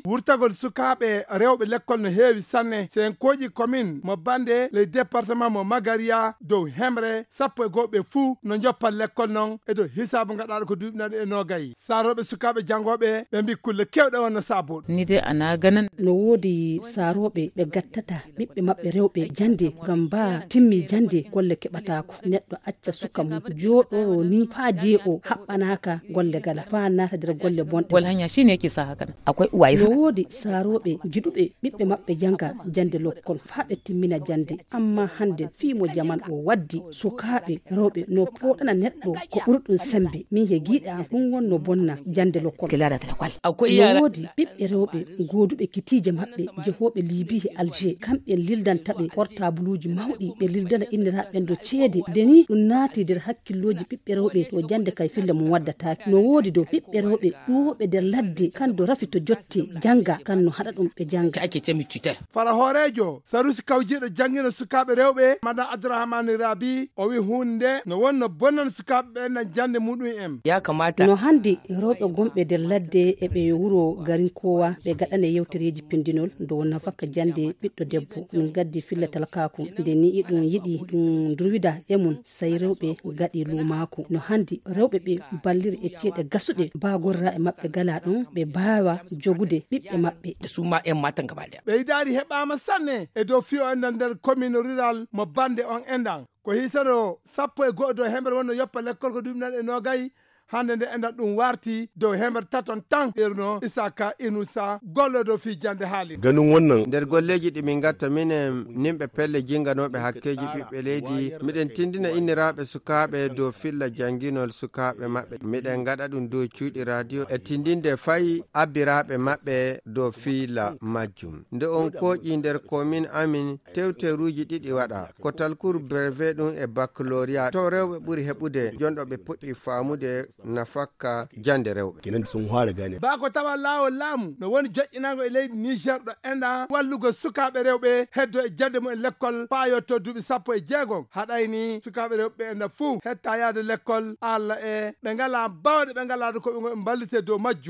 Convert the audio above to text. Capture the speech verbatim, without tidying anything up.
wurtagol sukaaɓe rewɓe lekkol no heewi sanne. Senkooji komin mo bannde ley departement mo Magariya dow hemre sappo e goo ɓe fuu no njoppa lekkol non e dow hisaabu ngaɗaaɗo ko duuɓi naɗi e noogay. Saarooɓe sukaaɓe janngooɓe ɓe mbi kulle kewɗe on no saaboo ɗum. Ni de ana ganan. No woodi saarooɓe ɓe gattata ɓiɓɓe maɓɓe rewɓe jannde, ngam baa timmi jannde golle keɓataako. Neɗɗo acca suka mum jooɗoro ni faa jee'o haɓɓanaaka golle gala, faa naata nder golle bonɗe. Wal hanya shine yake sa haka nan. Akwai uwaye. No woodi saarooɓe giɗuɓe ɓiɓɓe maɓɓe jannga jannde lokkol faa ɓe timmina jannde. Amma hannde fii mo jaman o waddi, sukaaɓe rewɓe no pooɗana neɗɗo ko ɓuri ɗum semmbe. Min he giiɗe am ɗum wonno bonna jannde lokkol. Kila da talakwal. Akwai yara. No woodi ɓiɓɓe rewɓe gooduɓe kitiije maɓɓe jehooɓe Libi e Alger. Kamɓe lildanta ɓe portabuluuji mawɗi, ɓe lildana inniraaɓe ɓen do ceede. Nde ni ɗum naati nder hakkillooji ɓiɓɓe rewɓe to jannde kay filla mum waddataake. No woodi do ɓiɓɓe rewɓe ɗuwooɓe nder ladde kan do rafi to jotte jannga kan no haɗa ɗum ɓe jannga. Ake ce mi cutar. Fara hooreejo Sarusi kawjiiɗo janngino sukaaɓe rewɓe, Madame Abdourahmane Rabi, o wi huunde no wonno bonnan sukaaɓe ɓen nan jannde muɗum en. Ya kamata. No hannde rewɓe gonɓe nder ladde e ɓe wuro Garinkowa ɓe gaɗane yewtereeji pindinol dow nafaka jannde ɓiɗɗo debbo. Min gaddi filla talkaaku. Nde ni iɗum yiɗi ɗum durwida e mum, sey rewɓe gaɗi luumaaku. No hannde rewɓe ɓe balliri e ceeɗe gasuɗe, baa gorraaɓe maɓɓe gala ɗum, ɓe baawa jogude ɓiɓɓe maɓɓe. Da su ma yan matan gaba ɗaya. Ɓeydaari heɓaama sanne e dow fiyo enɗan nder commune rural mo bannde on enɗan. Ko hiisano sappo e go'o dow hemre wonno yoppa lekkol ko duuɓi naɗi e noogay. Hannde nde enɗan ɗum warti dow hemre taton tan. Ɓerno Isaka Inusa gollodo fii jannde haali. Ganin wannan. Nder golleeji ɗi min ngatta minen nimɓe pelle jinganooɓe hakkeeji ɓiɓɓe leydi, miɗen tindina inniraaɓe sukaaɓe dow filla jannginol sukaaɓe maɓɓe. Miɗen ngaɗa ɗum dow cuuɗi radio e tindinde fay abbiraaɓe maɓɓe dow filla majjum. Nde on kooƴi nder komin amin, tewteruuji ɗiɗi waɗa. Ko talkuru brevet ɗum e baccalauréat. To rewɓe ɓuri heɓude, jonɗo ɓe puɗɗi faamude nafakka jannde rewɓe. Kenan sun fara gane. Baa ko tawa laawol laamu no woni joƴƴinango e leydi Niger ɗo enɗan wallugol sukaaɓe rewɓe heddo e jannde mum e lekkol paayotto duuɓi sappo e jeegom. Haɗayni sukaaɓe rewɓe ɓe enɗan fuu hetta yaade lekkol, Alla e ɓe ngalaa baawɗe, ɓe ngalaa ko ɓe mballitee dow majjum.